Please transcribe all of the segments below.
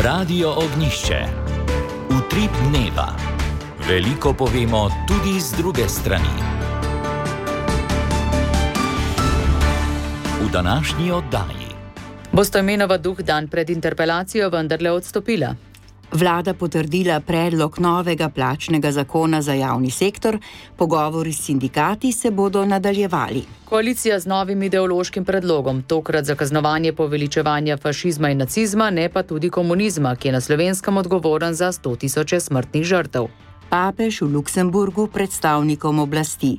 Radio Ognjišče. Utrip dneva. Veliko povemo tudi z druge strani. V današnji oddaji. Bo Stojmenova Duh dan pred interpelacijo vendarle odstopila? Vlada potrdila predlog novega plačnega zakona za javni sektor, pogovori s sindikati se bodo nadaljevali. Koalicija z novim ideološkim predlogom, tokrat za kaznovanje poveličevanja fašizma in nacizma, ne pa tudi komunizma, ki je na Slovenskem odgovoren za 100 000 smrtnih žrtev. Papež v Luksemburgu predstavnikom oblasti.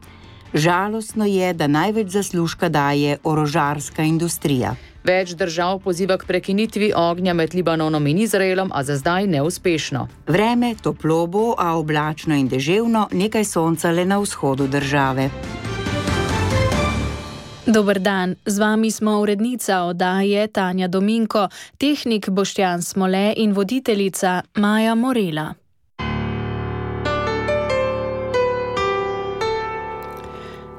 Žalostno je, da največ zaslužka daje orožarska industrija. Več držav poziva k prekinitvi ognja med Libanonom in Izraelom, a za zdaj neuspešno. Vreme toplo bo, a oblačno in deževno, nekaj sonca le na vzhodu države. Dober dan, z vami smo urednica oddaje Tanja Dominko, tehnik Boštjan Smole in voditeljica Maja Morela.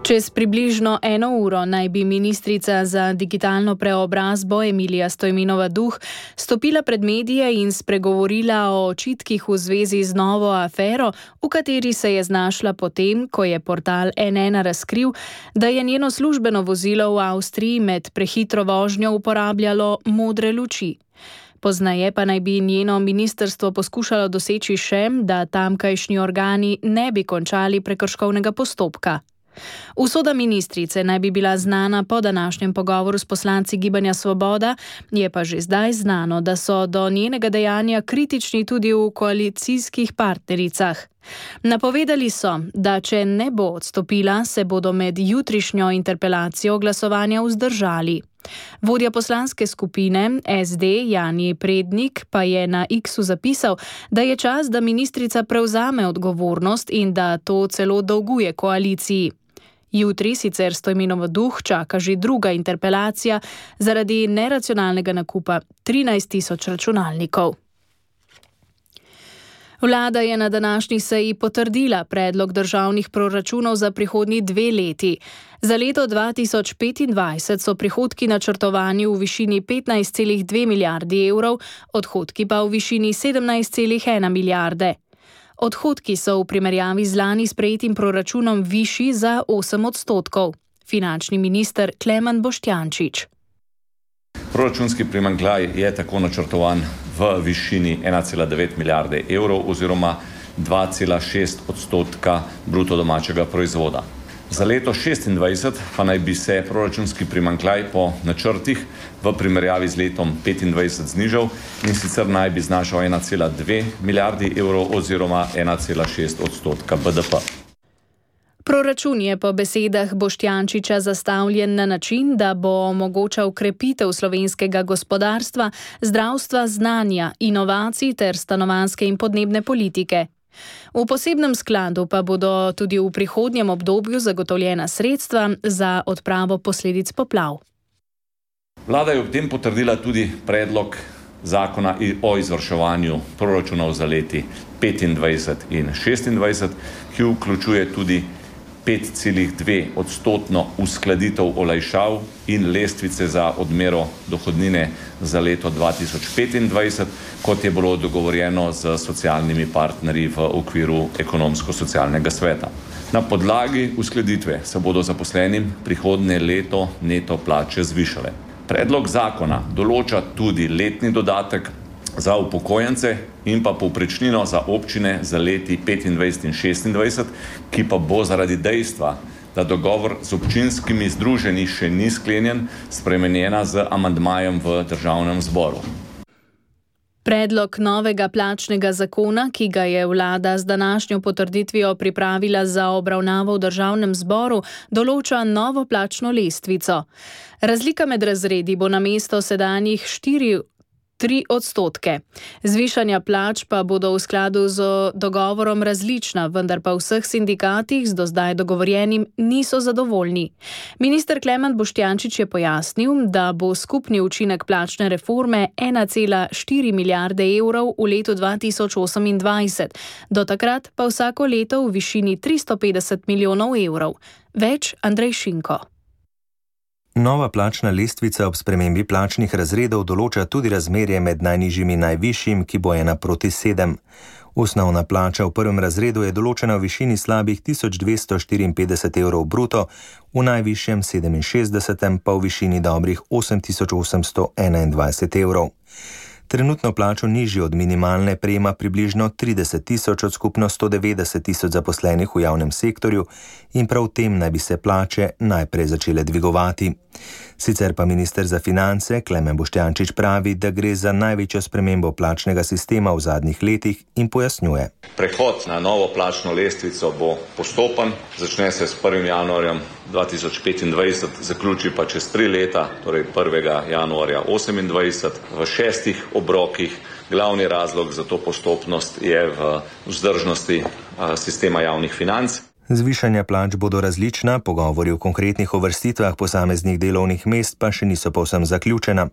Čez približno 1 uro naj bi ministrica za digitalno preobrazbo Emilija Stojmenova Duh stopila pred medije in spregovorila o očitkih v zvezi z novo afero, v kateri se je znašla potem, ko je portal N1 razkril, da je njeno službeno vozilo v Avstriji med prehitro vožnjo uporabljalo modre luči. Poznaje pa naj bi njeno ministrstvo poskušalo doseči še, da tamkajšnji organi ne bi končali prekrškovnega postopka. Usoda ministrice naj bi bila znana po današnjem pogovoru s poslanci Gibanja Svoboda, je pa že zdaj znano, da so do njenega dejanja kritični tudi v koalicijskih partnericah. Napovedali so, da če ne bo odstopila, se bodo med jutrišnjo interpelacijo glasovanja vzdržali. Vodja poslanske skupine SD Jani Prednik pa je na X-u zapisal, da je čas, da ministrica prevzame odgovornost in da to celo dolguje koaliciji. Jutri sicer Stojmenova Duh čaka že druga interpelacija zaradi neracionalnega nakupa 13 000 računalnikov. Vlada je na današnji seji potrdila predlog državnih proračunov za prihodnji 2 leti. Za leto 2025 so prihodki načrtovani v višini 15,2 milijardi evrov, odhodki pa v višini 17,1 milijarde. Odhodki so v primerjavi z lani sprejetim proračunom višji za 8%. Finančni minister Klemen Boštjančič. Proračunski primanjkljaj je tako načrtovan v višini 1,9 milijarde evrov oziroma 2,6% bruto domačega proizvoda. Za leto 2026 pa naj bi se proračunski primanjkljaj po načrtih v primerjavi z letom 2025 znižal in sicer naj bi znašal 1,2 milijardi evrov oziroma 1,6% BDP. Proračun je po besedah Boštjančiča zastavljen na način, da bo omogočal krepitev slovenskega gospodarstva, zdravstva, znanja, inovacij ter stanovanjske in podnebne politike. V posebnem skladu pa bodo tudi v prihodnjem obdobju zagotovljena sredstva za odpravo posledic poplav. Vlada je ob tem potrdila tudi predlog zakona o izvrševanju proračunov za leti 2025 in 2026, ki vključuje tudi 5,2% uskladitev olajšav in lestvice za odmero dohodnine za leto 2025, kot je bilo dogovorjeno z socialnimi partnerji v okviru ekonomsko-socialnega sveta. Na podlagi uskladitve se bodo zaposlenim prihodnje leto neto plače zvišale. Predlog zakona določa tudi letni dodatek za upokojence in pa povprečnino za občine za leti 25 in 26, ki pa bo zaradi dejstva, da dogovor z občinskimi združenji še ni sklenjen, spremenjena z amandmajem v Državnem zboru. Predlog novega plačnega zakona, ki ga je vlada z današnjo potrditvijo pripravila za obravnavo v Državnem zboru, določa novo plačno lestvico. Razlika med razredi bo namesto sedanjih 3%. Zvišanja plač pa bodo v skladu z dogovorom različna, vendar pa v vseh sindikatih z do zdaj dogovorjenim niso zadovoljni. Minister Klemen Boštjančič je pojasnil, da bo skupni učinek plačne reforme 1,4 milijarde evrov v letu 2028, do takrat pa vsako leto v višini 350 milijonov evrov. Več Andrej Šinko. Nova plačna lestvica ob spremembi plačnih razredov določa tudi razmerje med najnižjim in najvišjim, ki bo 1:7. Osnovna plača v prvem razredu je določena v višini slabih 1254 evrov bruto, v najvišjem 67. pa v višini dobrih 8821 evrov. Trenutno plačo nižjo od minimalne prejema približno 30 tisoč od skupno 190 tisoč zaposlenih v javnem sektorju in prav v tem naj bi se plače najprej začele dvigovati. Sicer pa minister za finance Klemen Boštjančič pravi, da gre za največjo spremembo plačnega sistema v zadnjih letih in pojasnjuje. Prehod na novo plačno lestvico bo postopen, začne se s 1. januarjem 2025, zaključi pa čez 3 leta, torej 1. januarja 2028, v 6 obrokih. Glavni razlog za to postopnost je v vzdržnosti sistema javnih financ. Zvišanja plač bodo različna, pogovori o konkretnih uvrstitvah posameznih delovnih mest pa še niso povsem zaključena.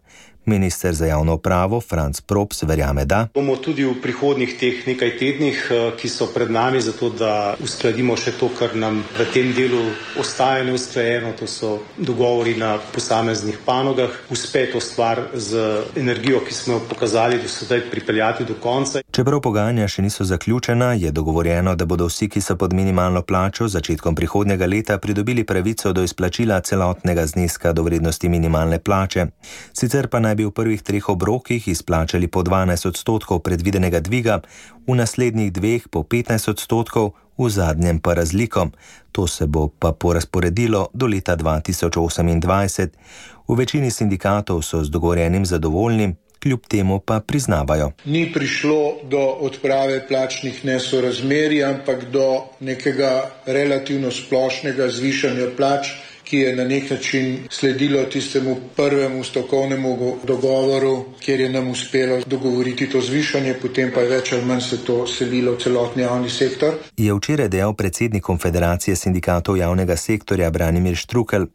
Minister za javno upravo Franc Props verjame, da bomo tudi v prihodnjih teh nekaj tednih, ki so pred nami, zato da uskladimo še to, kar nam v tem delu ostaja neusklajeno, to so dogovori na posameznih panogah, uspe to stvar z energijo, ki smo jo pokazali do sedaj, pripeljati do konca. Čeprav pogajanja še niso zaključena, je dogovorjeno, da bodo vsi, ki so pod minimalno plačo z začetkom prihodnjega leta pridobili pravico do izplačila celotnega zneska do vrednosti minimalne plače. Sicer pa naj bi v prvih 3 obrokih izplačali po 12% predvidenega dviga, v naslednjih 2 po 15%, v zadnjem pa razliko. To se bo pa porazporedilo do leta 2028. V večini sindikatov so z dogovorjenim zadovoljni, kljub temu pa priznavajo. Ni prišlo do odprave plačnih nesorazmerij, ampak do nekega relativno splošnega zvišanja plač, ki je na nek način sledilo tistemu prvemu stavkovnemu dogovoru, kjer je nam uspelo dogovoriti to zvišanje, potem pa je več ali manj se to selilo v celotni javni sektor. Je včeraj dejal predsednik Konfederacije sindikatov javnega sektorja Branimir Štrukelj.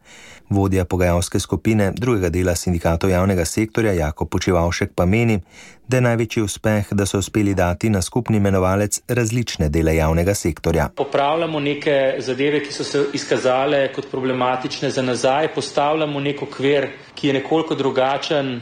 Vodja pogajalske skupine drugega dela sindikatov javnega sektorja Jakob Počivavšek pa meni, da je največji uspeh, da so uspeli dati na skupni imenovalec različne dele javnega sektorja. Popravljamo neke zadeve, ki so se izkazale kot problematične za nazaj, postavljamo nek okvir, ki je nekoliko drugačen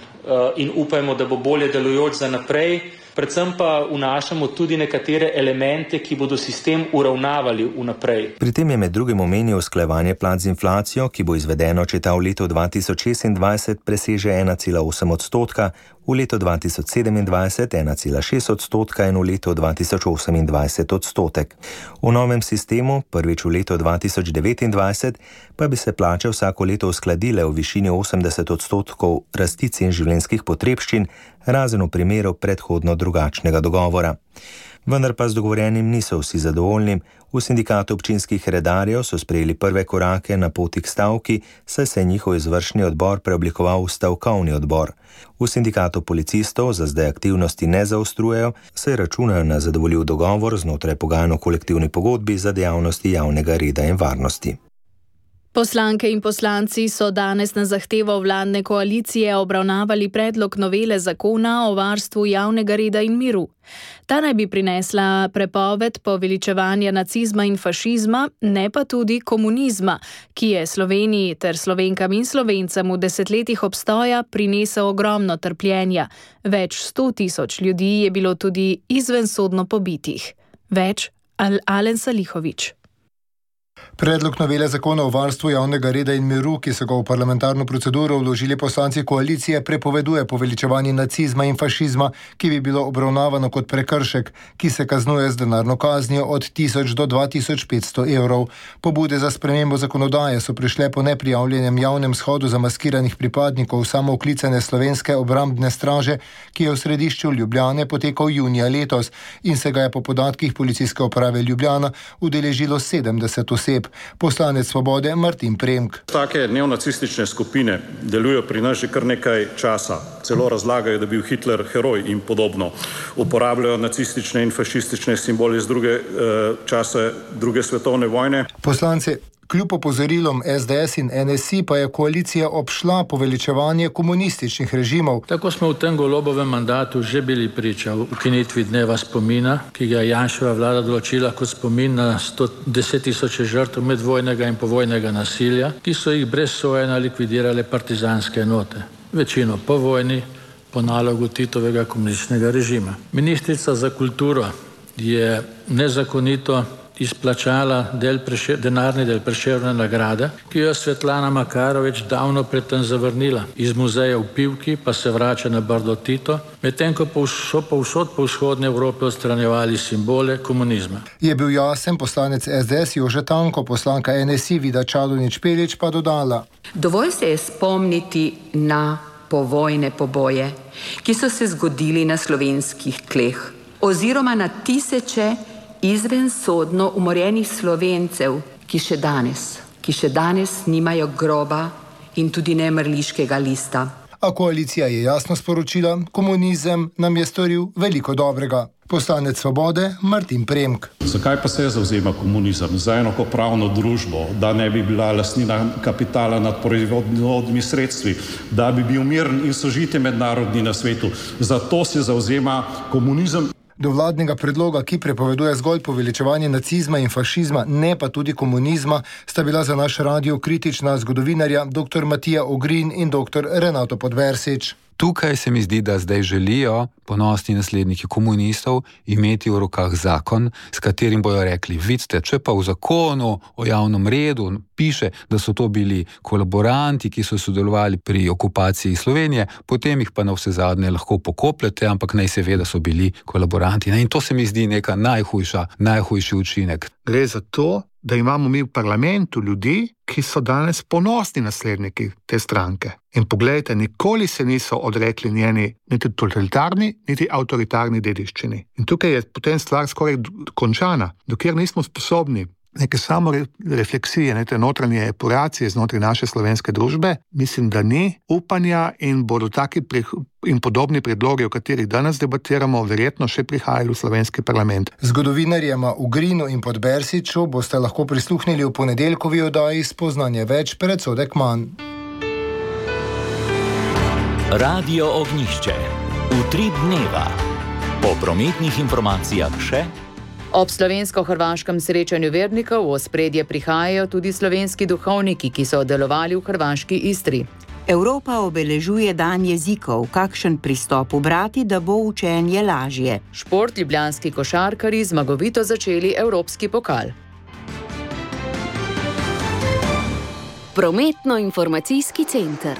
in upajmo, da bo bolje delujoč za naprej. Predvsem pa vnašamo tudi nekatere elemente, ki bodo sistem uravnavali vnaprej. Pri tem je med drugim omenil usklajevanje plač z inflacijo, ki bo izvedeno, če ta v letu 2026 preseže 1,8%, v letu 2027 1,6% in v letu 2028 odstotek. V novem sistemu, prvič v letu 2029, pa bi se plače vsako leto uskladile v višini 80% rasti cen življenjskih potrebščin, razen v primeru predhodno drugačnega dogovora. Vendar pa z dogovorjenim niso vsi zadovoljni. V sindikatu občinskih redarjev so sprejeli prve korake na poti k stavki, saj se je njihov izvršni odbor preoblikoval v stavkovni odbor. V sindikatu policistov za zdaj aktivnosti ne zaostrujejo, saj računajo na zadovoljiv dogovor znotraj pogajanj o kolektivni pogodbi za dejavnosti javnega reda in varnosti. Poslanke in poslanci so danes na zahtevo vladne koalicije obravnavali predlog novele zakona o varstvu javnega reda in miru. Ta naj bi prinesla prepoved poveličevanja nacizma in fašizma, ne pa tudi komunizma, ki je Sloveniji ter Slovenkam in Slovencem v desetletjih obstoja prinesel ogromno trpljenja. Več 100 tisoč ljudi je bilo tudi izvensodno pobitih. Več Alen Salihović. Predlog novele zakona o varstvu javnega reda in miru, ki so ga v parlamentarno proceduro vložili poslanci koalicije, prepoveduje poveličevanje nacizma in fašizma, ki bi bilo obravnavano kot prekršek, ki se kaznuje z denarno kaznijo od 1000 do 2500 evrov. Pobude za spremembo zakonodaje so prišle po neprijavljenem javnem shodu zamaskiranih pripadnikov samooklicane Slovenske obrambne straže, ki je v središču Ljubljane potekal junija letos in se ga je po podatkih Policijske uprave Ljubljana udeležilo 70 oseb. Poslanec Svobode Martin Premk. Take neonacistične skupine delujejo pri nas že kar nekaj časa. Celo razlagajo, da je bil Hitler heroj in podobno. Uporabljajo nacistične in fašistične simbole iz časa druge svetovne vojne. Poslanci Kljub opozorilom SDS in NSI pa je koalicija obšla poveličevanje komunističnih režimov. Tako smo v tem Golobovem mandatu že bili priča ukinitvi dneva spomina, ki ga je Janševa vlada določila kot spomin na 110.000 žrtev medvojnega in povojnega nasilja, ki so jih brez sojenja likvidirale partizanske enote. Večino po vojni, po nalogu Titovega komunističnega režima. Ministrica za kulturo je nezakonito izplačala denarni del Prešernove nagrade, ki jo je Svetlana Makarovič davno predtem zavrnila. Iz muzeja v Pivki pa se vrača na Brdo Tito, medtem ko so povsod po vzhodni Evropi odstranjevali simbole komunizma. Je bil jasen poslanec SDS Jože Tanko, poslanka NSI Vida Čadonič Špelič pa dodala. Dovolj se je spomniti na povojne poboje, ki so se zgodili na slovenskih tleh, oziroma na tisoče izvensodno umorjenih Slovencev, ki še danes nimajo groba in tudi ne mrliškega lista. A koalicija je jasno sporočila, komunizem nam je storil veliko dobrega. Poslanec Svobode Martin Premk. Zakaj pa se zavzema komunizem? Za enakopravno družbo, da ne bi bila lastnina kapitala nad proizvodnimi sredstvi, da bi bil miren in sožitje mednarodni na svetu. Zato se zavzema komunizem. Do vladnega predloga, ki prepoveduje zgolj poveličevanje nacizma in fašizma, ne pa tudi komunizma, sta bila za naš radio kritična zgodovinarja dr. Matija Ogrin in dr. Renato Podbersič. Tukaj se mi zdi, da zdaj želijo ponosni nasledniki komunistov imeti v rokah zakon, s katerim bojo rekli, vidite, če pa v zakonu o javnem redu piše, da so to bili kolaboranti, ki so sodelovali pri okupaciji Slovenije, potem jih pa na vse zadnje lahko pokopljete, ampak naj se ve, da so bili kolaboranti. In to se mi zdi neka najhujši učinek. Gre za to, da imamo mi v parlamentu ljudi, ki so danes ponosni nasledniki te stranke. In poglejte, nikoli se niso odrekli njeni niti totalitarni, niti avtoritarni dediščini. In tukaj je potem stvar skoraj končana, dokler nismo sposobni neke samorefleksije, neke notranje epuracije znotraj naše slovenske družbe, mislim, da ni upanja in bodo taki in podobni predlogi, o katerih danes debatiramo, verjetno še prihajali v slovenski parlament. Zgodovinarjema Ugrinu in Podbersiču boste lahko prisluhnili v ponedeljkovi oddaji Spoznanje več, predsodek manj. Radio Ognjišče. Utrip dneva. Po prometnih informacijah še. Ob slovensko-hrvaškem srečanju vernikov v ospredje prihajajo tudi slovenski duhovniki, ki so delovali v hrvaški Istri. Evropa obeležuje dan jezikov. Kakšen pristop ubrati, da bo učenje lažje? Šport, ljubljanski košarkarji zmagovito začeli evropski pokal. Prometno-informacijski center.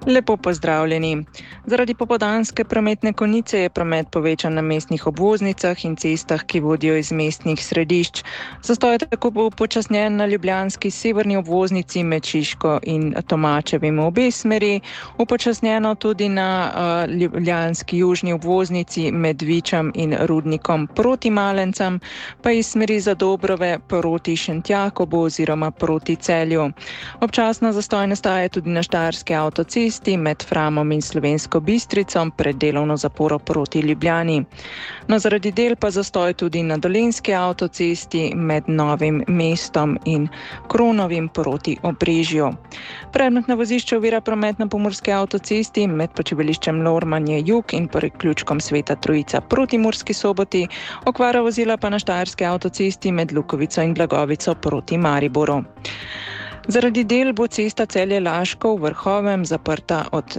Lepo pozdravljeni. Zaradi popoldanske prometne konice je promet povečan na mestnih obvoznicah in cestah, ki vodijo iz mestnih središč. Zastoj je tako upočasnjen na ljubljanski severni obvoznici med Šiško in Tomačevim v obe smeri, upočasnjeno tudi na ljubljanski južni obvoznici med Vičem in Rudnikom proti Malencem, pa iz smeri Zadobrove proti Šentjakobu oziroma proti Celju. Občasno zastoj nastaja tudi na štajerski avtocesti med Framom in Slovensko Bistrico pred delovno zaporo proti Ljubljani. No, zaradi del pa zastoj tudi na dolenjski avtocesti med Novim mestom in Kronovim proti Obrežju. Predmetno vozišče ovira promet na pomurski avtocesti med počivališčem Lormanje jug in priključkom Sveta Trojica proti Murski Soboti, okvara vozila pa na štajerski avtocesti med Lukovico in Blagovico proti Mariboru. Zaradi del bo cesta Celje-Laško v Vrhovem zaprta od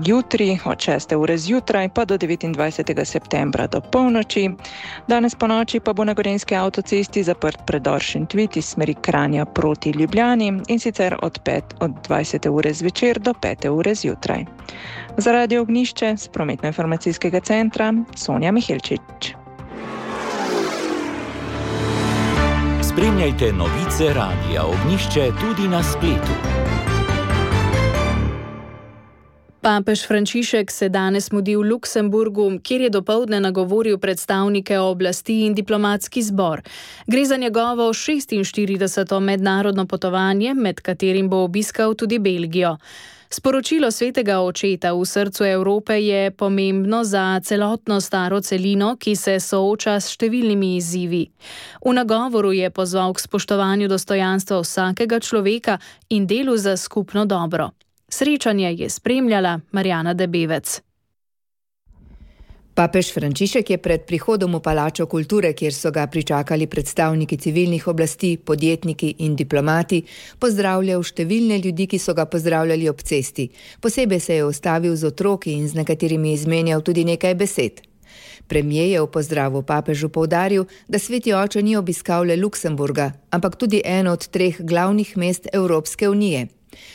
jutri, od 6. ure zjutraj pa do 29. septembra do polnoči. Danes po noči pa bo na gorenjski avtocesti zaprt predor Šentvid iz smeri Kranja proti Ljubljani in sicer od 20. ure zvečer do 5. ure zjutraj. Za Radio Ognjišče z prometno-informacijskega centra Sonja Mihelčič. Spremljajte novice Radia Ognjišče tudi na spletu. Papež Frančišek se danes mudi v Luksemburgu, kjer je dopoldne nagovoril predstavnike oblasti in diplomatski zbor. Gre za njegovo 46. mednarodno potovanje, med katerim bo obiskal tudi Belgijo. Sporočilo svetega očeta v srcu Evrope je pomembno za celotno staro celino, ki se sooča s številnimi izzivi. V nagovoru je pozval k spoštovanju dostojanstva vsakega človeka in delu za skupno dobro. Srečanje je spremljala Marjana Debevec. Papež Frančišek je pred prihodom v Palačo kulture, kjer so ga pričakali predstavniki civilnih oblasti, podjetniki in diplomati, pozdravljal številne ljudi, ki so ga pozdravljali ob cesti. Posebej se je ustavil z otroki in z nekaterimi izmenjal tudi nekaj besed. Premier je v pozdravu papežu poudaril, da sveti oče ni obiskal le Luksemburga, ampak tudi eno od 3 glavnih mest Evropske unije.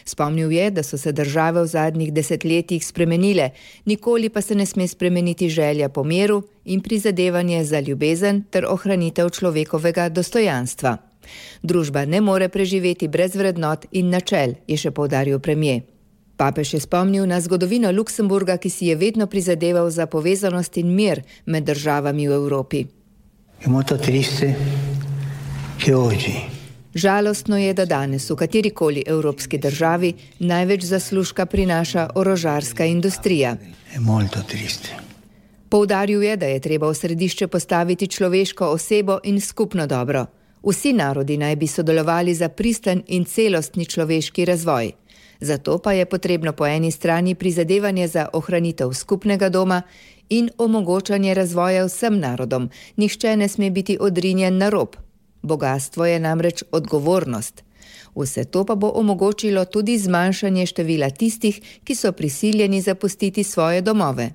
Spomnil je, da so se države v zadnjih desetletjih spremenile, nikoli pa se ne sme spremeniti želja po miru in prizadevanje za ljubezen ter ohranitev človekovega dostojanstva. Družba ne more preživeti brez vrednot in načel, je še poudaril premier. Papež je spomnil na zgodovino Luksemburga, ki si je vedno prizadeval za povezanost in mir med državami v Evropi. Je molto triste che oggi Žalostno je, da danes v katerikoli evropski državi največ zaslužka prinaša orožarska industrija. Poudaril je, da je treba v središče postaviti človeško osebo in skupno dobro. Vsi narodi naj bi sodelovali za pristen in celostni človeški razvoj. Zato pa je potrebno po eni strani prizadevanje za ohranitev skupnega doma in omogočanje razvoja vsem narodom. Nihče ne sme biti odrinjen na rob. Bogastvo je namreč odgovornost. Vse to pa bo omogočilo tudi zmanjšanje števila tistih, ki so prisiljeni zapustiti svoje domove.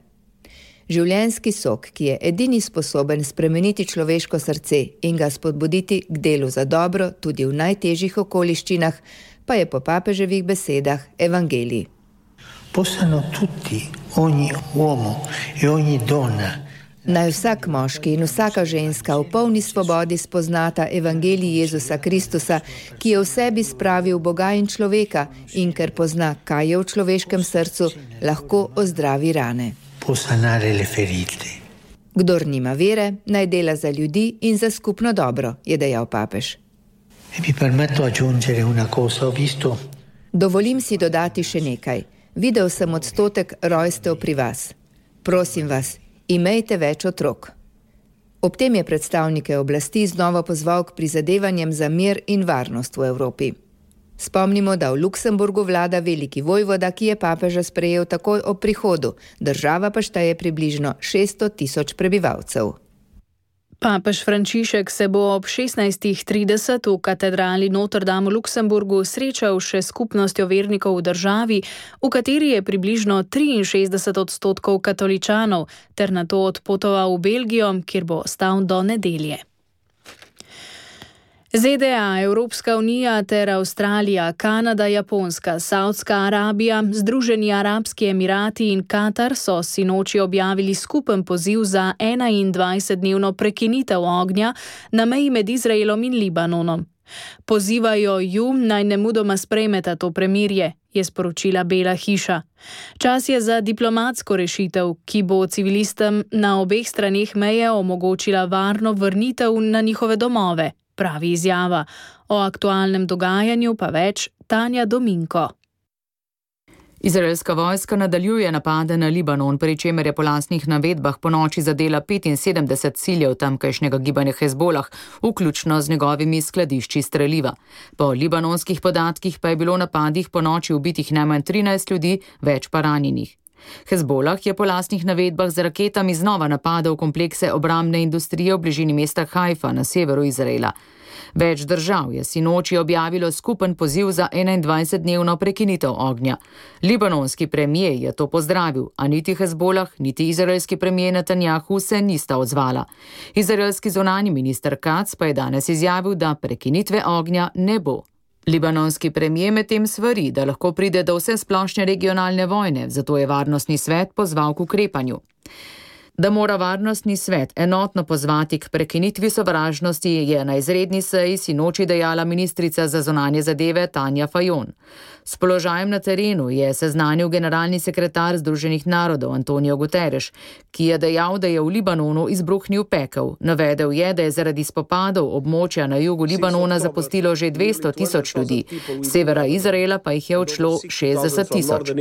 Življenjski sok, ki je edini sposoben spremeniti človeško srce in ga spodbuditi k delu za dobro tudi v najtežjih okoliščinah, pa je po papeževih besedah evangelij. Possano tutti, ogni uomo e ogni donna Naj vsak moški in vsaka ženska v polni svobodi spoznata evangelij Jezusa Kristusa, ki je v sebi spravil Boga in človeka in ker pozna, kaj je v človeškem srcu, lahko ozdravi rane. Kdor nima vere, naj dela za ljudi in za skupno dobro, je dejal papež. Dovolim si dodati še nekaj. Videl sem odstotek rojstev pri vas. Prosim vas, imejte več otrok. Ob tem je predstavnike oblasti znova pozval k prizadevanjem za mir in varnost v Evropi. Spomnimo, da v Luksemburgu vlada veliki vojvoda, ki je papeža sprejel takoj ob prihodu. Država pa šteje približno 600.000 prebivalcev. Papež Frančišek se bo ob 16:30 v katedrali Notre Dame v Luksemburgu srečal še s skupnostjo vernikov v državi, v kateri je približno 63% katoličanov, ter nato odpotoval v Belgijo, kjer bo ostal do nedelje. ZDA, Evropska unija ter Avstralija, Kanada, Japonska, Saudska Arabija, Združeni arabski emirati in Katar so sinoči objavili skupen poziv za 21-dnevno prekinitev ognja na meji med Izraelom in Libanonom. Pozivajo ju, naj nemudoma sprejmeta to premirje, je sporočila Bela hiša. Čas je za diplomatsko rešitev, ki bo civilistom na obeh straneh meje omogočila varno vrnitev na njihove domove, pravi izjava. O aktualnem dogajanju pa več Tanja Dominko. Izraelska vojska nadaljuje napade na Libanon, pri čemer je po lastnih navedbah ponoči zadela 75 ciljev tamkajšnjega gibanja Hezbolah, vključno z njegovimi skladišči streliva. Po libanonskih podatkih pa je bilo v napadih ponoči ubitih najmanj 13 ljudi, več pa ranjenih. Hezbolah je po lastnih navedbah z raketami znova napadal komplekse obrambne industrije v bližini mesta Haifa na severu Izraela. Več držav je sinoči objavilo skupen poziv za 21-dnevno prekinitev ognja. Libanonski premier je to pozdravil, a niti Hezbolah, niti izraelski premier Netanjahu se nista odzvala. Izraelski zunanji minister Katz pa je danes izjavil, da prekinitve ognja ne bo. Libanonski premier medtem svari, da lahko pride do vsesplošne regionalne vojne, zato je Varnostni svet pozval k ukrepanju. Da mora Varnostni svet enotno pozvati k prekinitvi sovražnosti, je na izredni seji sinoči dejala ministrica za zunanje zadeve Tanja Fajon. S položajem na terenu je seznanil generalni sekretar Združenih narodov Antonio Guterres, ki je dejal, da je v Libanonu izbruhnil pekel. Navedel je, da je zaradi spopadov območja na jugu Libanona zapustilo že 200 tisoč ljudi, z severa Izraela pa jih je odšlo 60 tisoč.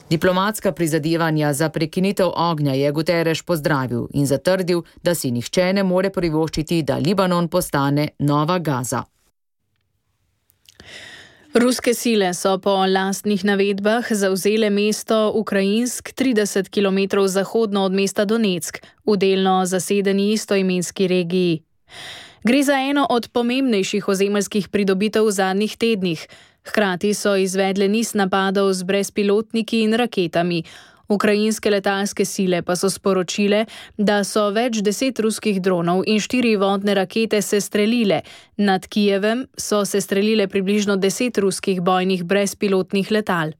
Diplomatska prizadevanja za prekinitev ognja je Guterres pozdravil in zatrdil, da si nihče ne more privoščiti, da Libanon postane nova Gaza. Ruske sile so po lastnih navedbah zavzele mesto Ukrajinsk 30 km zahodno od mesta Donetsk, v delno zasedeni istoimenski regiji. Gre za eno od pomembnejših ozemeljskih pridobitev v zadnjih tednih. Hkrati so izvedle niz napadov z brezpilotniki in raketami. Ukrajinske letalske sile pa so sporočile, da so več 10 ruskih dronov in 4 vodne rakete sestrelile. Nad Kijevem so sestrelile približno 10 ruskih bojnih brezpilotnih letal.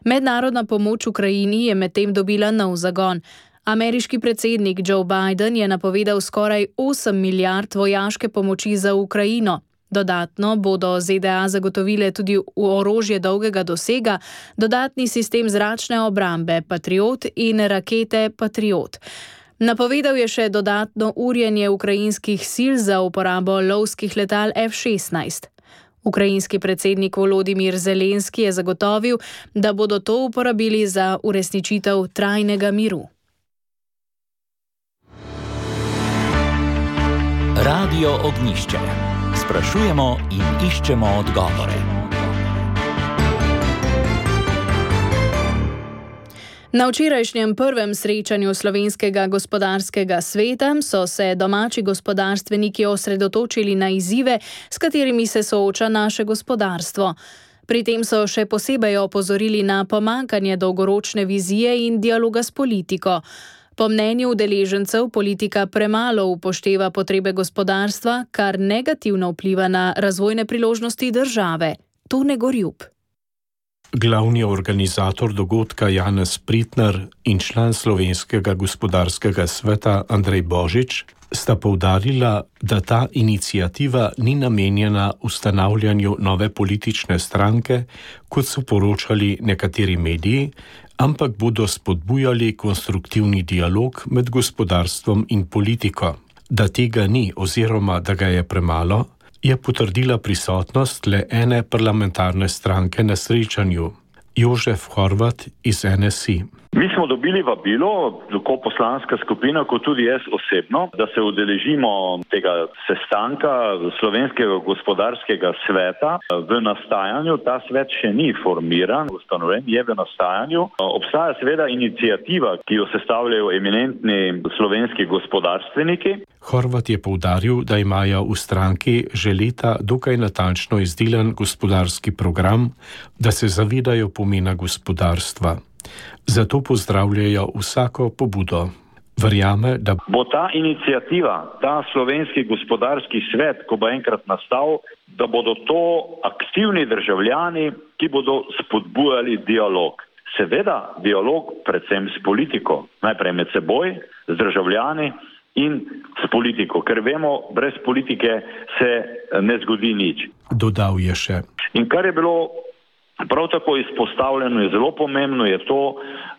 Mednarodna pomoč Ukrajini je medtem dobila nov zagon. Ameriški predsednik Joe Biden je napovedal skoraj 8 milijard vojaške pomoči za Ukrajino. Dodatno bodo ZDA zagotovile tudi orožje dolgega dosega, dodatni sistem zračne obrambe Patriot in rakete Patriot. Napovedal je še dodatno urjenje ukrajinskih sil za uporabo lovskih letal F-16. Ukrajinski predsednik Volodimir Zelenski je zagotovil, da bodo to uporabili za uresničitev trajnega miru. Radio Ognjišče. Sprašujemo in iščemo odgovore. Na včerajšnjem prvem srečanju Slovenskega gospodarskega sveta so se domači gospodarstveniki osredotočili na izzive, s katerimi se sooča naše gospodarstvo. Pri tem so še posebej opozorili na pomanjkanje dolgoročne vizije in dialoga s politiko. Po mnenju udeležencev politika premalo upošteva potrebe gospodarstva, kar negativno vpliva na razvojne priložnosti države. Tone Gorjup. Glavni organizator dogodka Janez Pritnar in član Slovenskega gospodarskega sveta Andrej Božič sta poudarila, da ta iniciativa ni namenjena ustanavljanju nove politične stranke, kot so poročali nekateri mediji, ampak bodo spodbujali konstruktivni dialog med gospodarstvom in politiko. Da tega ni oziroma da ga je premalo, je potrdila prisotnost le ene parlamentarne stranke na srečanju, Jožef Horvat iz NSI. Mi smo dobili vabilo, tako poslanska skupina, kot tudi jaz osebno, da se udeležimo tega sestanka Slovenskega gospodarskega sveta v nastajanju. Ta svet še ni formiran, ustanovljen je v nastajanju. Obstaja seveda iniciativa, ki jo sestavljajo eminentni slovenski gospodarstveniki. Horvat je poudaril, da imajo v stranki že leta dokaj natančno izdelan gospodarski program, da se zavedajo pomena gospodarstva. Zato pozdravljajo vsako pobudo. Verjame, da bo ta iniciativa, ta slovenski gospodarski svet, ko bo enkrat nastal, da bodo to aktivni državljani, ki bodo spodbujali dialog. Seveda dialog predvsem s politiko, najprej med seboj, z državljani in s politiko, ker vemo, brez politike se ne zgodi nič. Dodal je še. In kar je bilo prav tako izpostavljeno je zelo pomembno je to,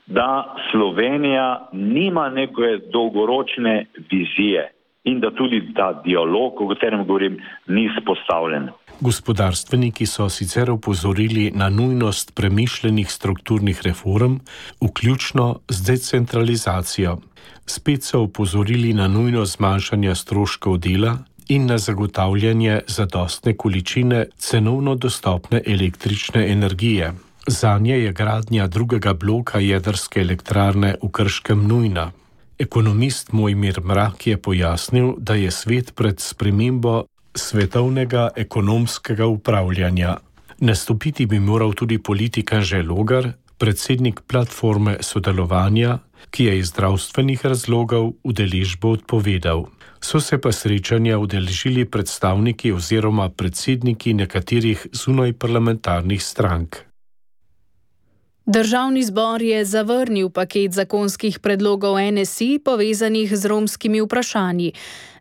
da Slovenija nima neke dolgoročne vizije in da tudi ta dialog, o katerem govorim, ni spostavljen. Gospodarstveniki so sicer opozorili na nujnost premišljenih strukturnih reform, vključno z decentralizacijo. Spet so opozorili na nujnost zmanjšanja stroškov dela in na zagotavljanje zadostne količine cenovno dostopne električne energije. Zanje je gradnja drugega bloka jedrske elektrarne v Krškem nujna. Ekonomist Mojmir Mrak je pojasnil, da je svet pred spremembo svetovnega ekonomskega upravljanja. Nastopiti bi moral tudi politik Anže Logar, predsednik platforme sodelovanja, ki je iz zdravstvenih razlogov udeležbo odpovedal. So se pa srečanja udeležili predstavniki oziroma predsedniki nekaterih zunajparlamentarnih strank. Državni zbor je zavrnil paket zakonskih predlogov NSI povezanih z romskimi vprašanji.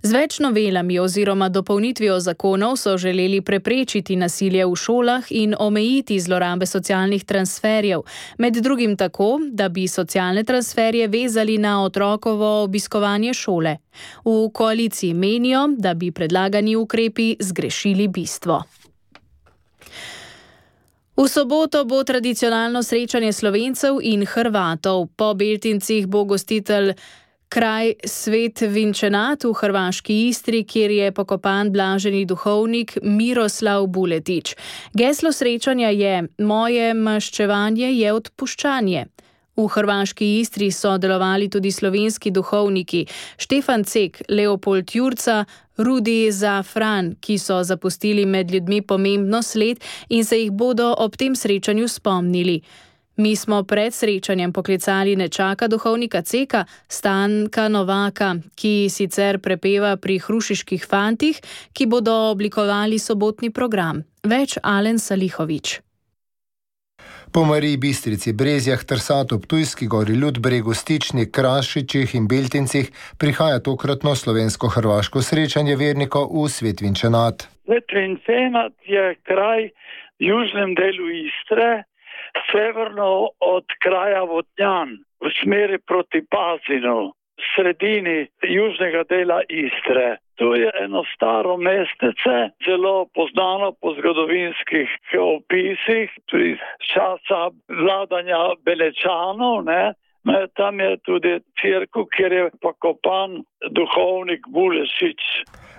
Z več novelami oziroma dopolnitvijo zakonov so želeli preprečiti nasilje v šolah in omejiti zlorabe socialnih transferjev, med drugim tako, da bi socialne transferje vezali na otrokovo obiskovanje šole. V koaliciji menijo, da bi predlagani ukrepi zgrešili bistvo. V soboto bo tradicionalno srečanje Slovencev in Hrvatov. Po Beltincih bo gostitelj kraj Svet Vinčenat v hrvaški Istri, kjer je pokopan blaženi duhovnik Miroslav Buletić. Geslo srečanja je: moje maščevanje je odpuščanje. V hrvaški Istri so delovali tudi slovenski duhovniki Štefan Cek, Leopold Jurca, Rudi Zafran, ki so zapustili med ljudmi pomembno sled in se jih bodo ob tem srečanju spomnili. Mi smo pred srečanjem poklicali nečaka duhovnika Ceka, Stanka Novaka, ki sicer prepeva pri Hrušiških fantih, ki bodo oblikovali sobotni program. Več Alen Salihović. Po Mariji Bistrici, Brezjah, Trsatu, Ptujski Gori, Ludbregu, Stični, Krašičih in Beltincih prihaja tokratno slovensko-hrvaško srečanje vernikov v Svet Vinčenat. Svet Vinčenat je kraj v južnem delu Istre, severno od kraja Vodnjan, v smeri proti Pazinu, v sredini južnega dela Istre. To je eno staro mestece, zelo poznano po zgodovinskih opisih, tudi časa vladanja Belečanov, ne. Tam je tudi cerkev, kjer je pokopan duhovnik Bulešić.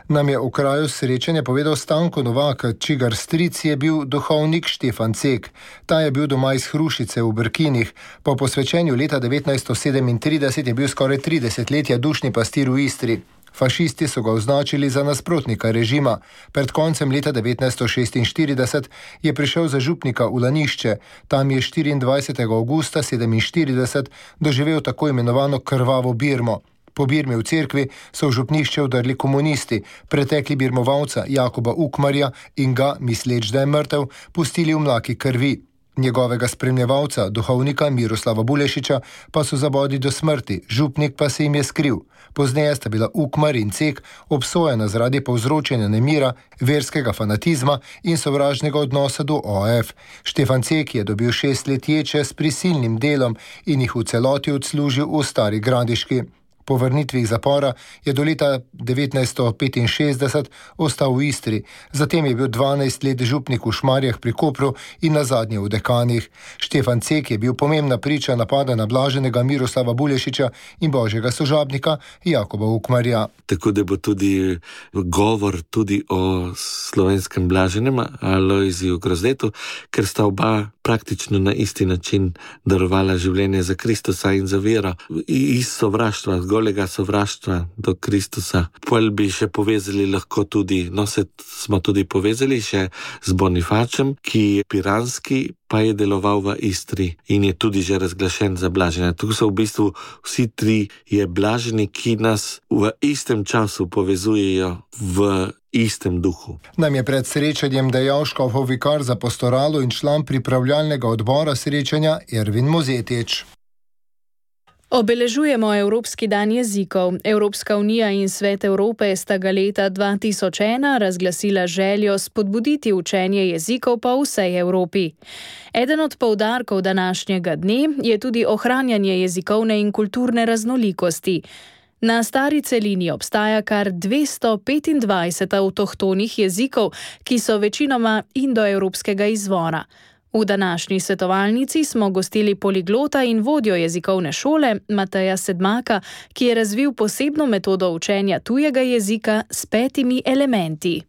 Nam je v kraju srečanja povedal Stanko Novak, čigar stric je bil duhovnik Štefan Cek. Ta je bil doma iz Hrušice v Brkinih. Po posvečenju leta 1937 je bil skoraj 30 letja dušni pastir v Istri. Fašisti so ga označili za nasprotnika režima. Pred koncem leta 1946 je prišel za župnika v Lanišče. Tam je 24. augusta 1947 doživel tako imenovano krvavo Birmo. Po Birmi v cerkvi so v župnišče vdrli komunisti, pretekli birmovalca Jakoba Ukmarja in ga, misleč, da je mrtev, pustili v mlaki krvi. Njegovega spremljevalca, duhovnika Miroslava Bulešića, pa so zabodli do smrti, župnik pa se jim je skril. Pozneje sta bila Ukmar in Cek obsojena zaradi povzročanja nemira, verskega fanatizma in sovražnega odnosa do OF. Štefan Cek je dobil 6 let ječe s prisilnim delom in jih v celoti odslužil v Stari Gradiški. Po vrnitvi iz zapora je do leta 1965 ostal v Istri, zatem je bil 12 let župnik v Šmarjah pri Kopru in nazadnje v Dekanih. Štefan Cek je bil pomembna priča napada na blaženega Miroslava Bulešića in božjega sožabnika Jakoba Ukmarja. Tako da bo tudi govor tudi o slovenskem blaženem Alojziju Grozdetu, ker sta oba praktično na isti način darovala življenje za Kristusa in za vero. Iz sovraštva, golega sovraštva do Kristusa. Pol bi še povezali lahko tudi, smo tudi povezali še z Bonifačem, ki je piranski, pa je deloval v Istri in je tudi že razglašen za blaženja. Tu so v bistvu vsi tri je blaženi, ki nas v istem času povezujejo v istem duhu. Nam je pred srečanjem dejal škofov vikar za pastoralo in član pripravljalnega odbora srečanja Ervin Mozetič. Obeležujemo Evropski dan jezikov. Evropska unija in Svet Evrope sta ga leta 2001 razglasila željo spodbuditi učenje jezikov po vsej Evropi. Eden od poudarkov današnjega dne je tudi ohranjanje jezikovne in kulturne raznolikosti. Na stari celini obstaja kar 225 avtohtonih jezikov, ki so večinoma indoevropskega izvora. V današnji svetovalnici smo gostili poliglota in vodjo jezikovne šole Mateja Sedmaka, ki je razvil posebno metodo učenja tujega jezika s 5 elementi.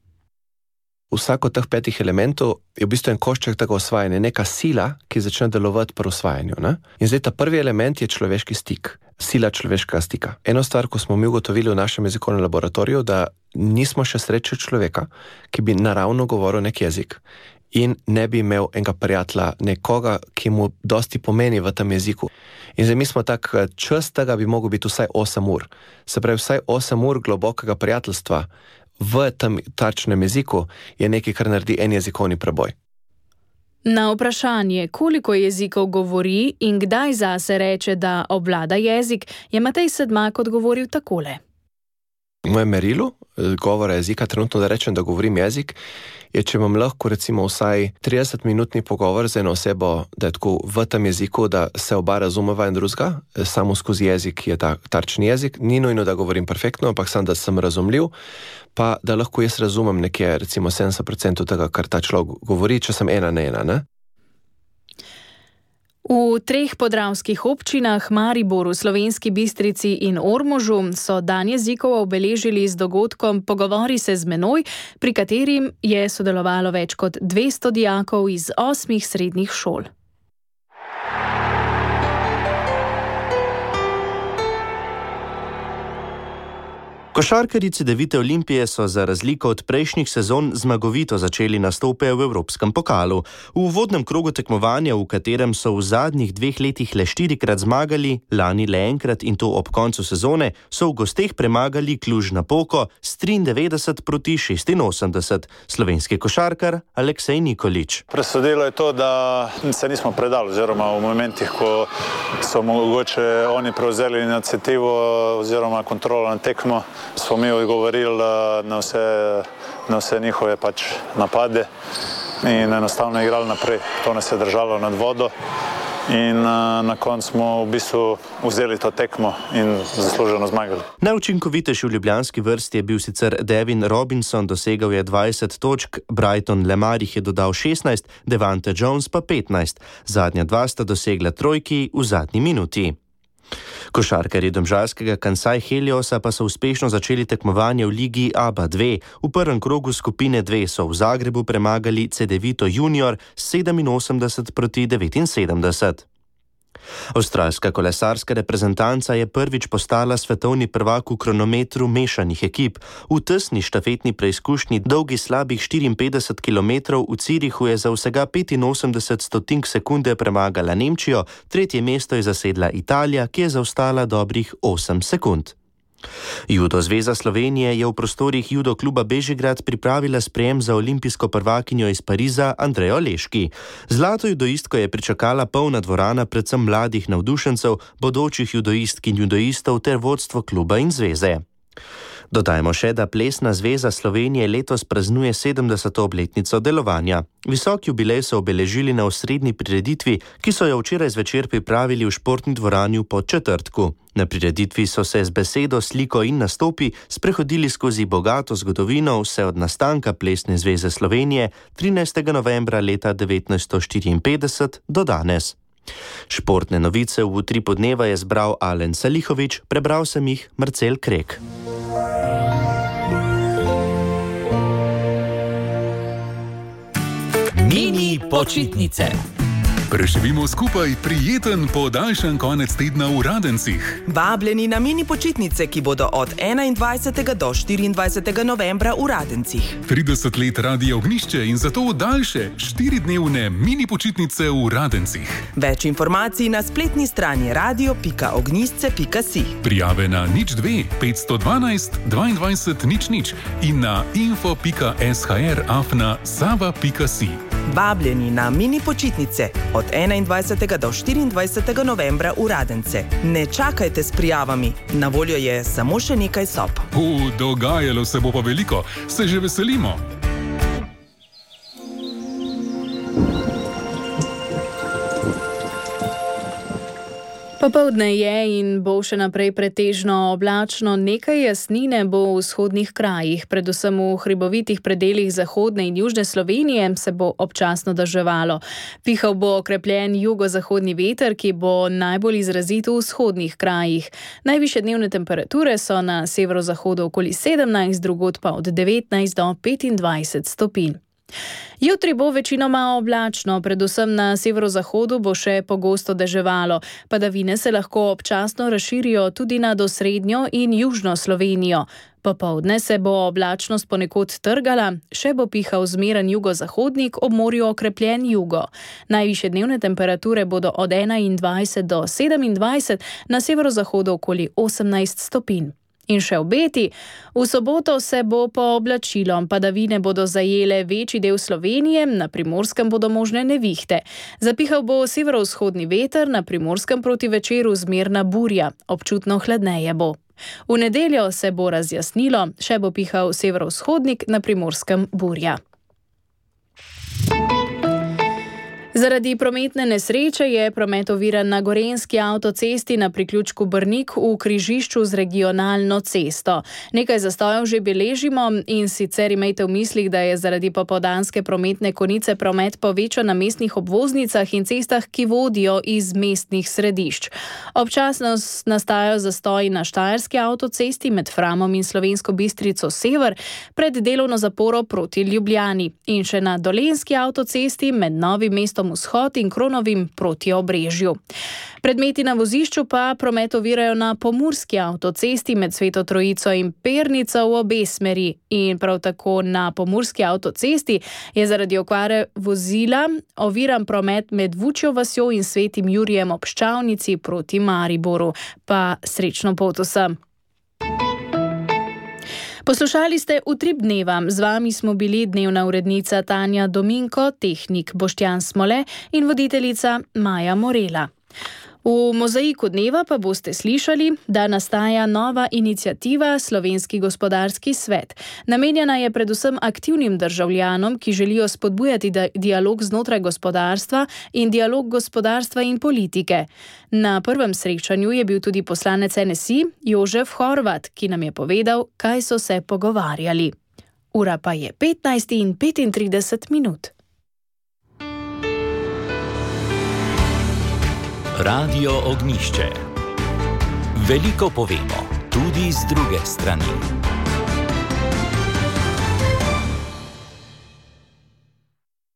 Vsak od teh 5 elementov je v bistvu en košček tega osvajanja, neka sila, ki začne delovati pri osvajanju. Ne? In zdaj ta prvi element je človeški stik, sila človeškega stika. Eno stvar, ko smo mi ugotovili v našem jezikovnem laboratoriju, da nismo še srečali človeka, ki bi naravno govoril nek jezik in ne bi imel enega prijatelja, nekoga, ki mu dosti pomeni v tem jeziku. In zdaj mi smo tak čas tega bi mogel biti vsaj 8 ur. Se pravi, vsaj 8 ur globokega prijateljstva v tem tačnem jeziku je nekaj, kar naredi en jezikovni preboj. Na vprašanje, koliko jezikov govori in kdaj zase reče, da obvlada jezik, je Matej Sedmak odgovoril takole. Moje merilo govora jezika, trenutno da rečem, da govorim jezik, je, če imam lahko recimo vsaj 30-minutni pogovor z eno osebo, da je tako v tem jeziku, da se oba razumeva in drugega, samo skozi jezik je ta tarčni jezik, ni nujno, da govorim perfektno, ampak samo, da sem razumljiv, pa da lahko jaz razumem nekje recimo 70% tega, kar ta človek govori, če sem ena na ena, ne? V 3 podravskih občinah, Mariboru, Slovenski Bistrici in Ormožu, so dan jezikov obeležili z dogodkom Pogovori se z menoj, pri katerim je sodelovalo več kot 200 dijakov iz 8 srednjih šol. Košarkarji Cedevite Olimpije so za razliko od prejšnjih sezon zmagovito začeli nastope v Evropskem pokalu. V uvodnem krogu tekmovanja, v katerem so v zadnjih 2 letih le 4-krat zmagali, lani le enkrat in to ob koncu sezone, so v gosteh premagali Cluj-Napoko s 93-86. Slovenski košarkar Aleksej Nikolić. Presodilo je to, da se nismo predali, oziroma v momentih, ko so mogoče oni prevzeli inicijativo oziroma kontrolo na tekmo, smo mi odgovorili na vse njihove napade in enostavno igrali naprej. To nas je držalo nad vodo in na koncu smo v bistvu vzeli to tekmo in zasluženo zmagali. Najučinkovitejši v ljubljanski vrsti je bil sicer Devin Robinson, dosegal je 20 točk, Brighton Lemar jih je dodal 16, Devante Jones pa 15. Zadnja 2 sta dosegla trojki v zadnji minuti. Košarkarji domžalskega Kansai Heliosa pa so uspešno začeli tekmovanje v ligi ABA 2. V prvem krogu skupine 2 so v Zagrebu premagali Cedevito Junior 87-79. Avstralska kolesarska reprezentanca je prvič postala svetovni prvak v kronometru mešanih ekip. V tesni štafetni preizkušnji dolgi slabih 54 km v Cirihu je za vsega 85 stotink sekunde premagala Nemčijo, tretje mesto je zasedla Italija, ki je zaostala dobrih 8 sekund. Judo Zveza Slovenije je v prostorih judo kluba Bežigrad pripravila sprejem za olimpijsko prvakinjo iz Pariza Andrejo Leški. Zlato judoistko je pričakala polna dvorana predvsem mladih navdušencev, bodočih judoistk in judoistov ter vodstvo kluba in zveze. Dodajmo še, da Plesna zveza Slovenije letos praznuje 70. obletnico delovanja. Visok jubilej so obeležili na osrednji prireditvi, ki so jo včeraj zvečer pripravili v športni dvorani v Podčetrtku. Na prireditvi so se z besedo, sliko in nastopi sprehodili skozi bogato zgodovino vse od nastanka Plesne zveze Slovenije 13. novembra leta 1954 do danes. Športne novice v Utripu dneva je zbral Alen Salihovič, prebral sem jih Marcel Krek. Mini počitnice. Preživimo skupaj prijeten podaljšan konec tedna v Radencih. Vabljeni na mini počitnice, ki bodo od 21. do 24. novembra v Radencih. 30 let Radia Ognišče in zato daljše 4-dnevne mini počitnice v Radencih. Več informacij na spletni strani radio.ognisce.si. Prijave na 02 512 22 00 in na info.shr@sava.si. Vabljeni na mini počitnice od 21. do 24. novembra v Radence. Ne čakajte s prijavami, na voljo je samo še nekaj sob. Dogajalo se bo pa veliko, se že veselimo. Popoldne je in bo še naprej pretežno oblačno, nekaj jasnine bo v vzhodnih krajih, predvsem v hribovitih predelih zahodne in južne Slovenije se bo občasno deževalo. Pihal bo okrepljen jugozahodni veter, ki bo najbolj izrazit v vzhodnih krajih. Najvišje dnevne temperature so na severozahodu okoli 17, drugod pa od 19 do 25 stopinj. Jutri bo večinoma oblačno, predvsem na severozahodu bo še pogosto deževalo. Padavine se lahko občasno razširijo tudi nad osrednjo in južno Slovenijo. Popoldne se bo oblačnost ponekod trgala, še bo pihal zmeren jugozahodnik, ob morju okrepljen jugo. Najvišje dnevne temperature bodo od 21 do 27, na severozahodu okoli 18 stopinj. In še obeti. V soboto se bo pooblačilo, padavine bodo zajele večji del Slovenije, na Primorskem bodo možne nevihte. Zapihal bo severovzhodni veter, na Primorskem proti večeru zmerna burja, občutno hladneje bo. V nedeljo se bo razjasnilo, še bo pihal severovzhodnik, na Primorskem burja. Zaradi prometne nesreče je promet oviran na Gorenjski avtocesti na priključku Brnik v križišču z regionalno cesto. Nekaj zastojev že beležimo in sicer imejte v mislih, da je zaradi popoldanske prometne konice promet povečan na mestnih obvoznicah in cestah, ki vodijo iz mestnih središč. Občasno nastajajo zastoji na Štajerski avtocesti med Framom in Slovensko Bistrico sever pred delovno zaporo proti Ljubljani in še na Dolenjski avtocesti med Novim mestom Vzhod in Kronovim proti Obrežju. Predmeti na vozišču pa promet ovirajo na Pomurski avtocesti med Sveto Trojico in Pernico v obe smeri in prav tako na Pomurski avtocesti je zaradi okvare vozila oviran promet med Vučjo vasjo in Svetim Jurijem ob Ščavnici proti Mariboru. Pa srečno pot vsem! Poslušali ste Utrip dneva. Z vami smo bili dnevna urednica Tanja Dominko, tehnik Boštjan Smole in voditeljica Maja Morela. V mozaiku dneva pa boste slišali, da nastaja nova iniciativa Slovenski gospodarski svet. Namenjena je predvsem aktivnim državljanom, ki želijo spodbujati dialog znotraj gospodarstva in dialog gospodarstva in politike. Na prvem srečanju je bil tudi poslanec NSI Jožef Horvat, ki nam je povedal, kaj so se pogovarjali. Ura pa je 15:35. Radio Ognišče. Veliko povemo, tudi z druge strani.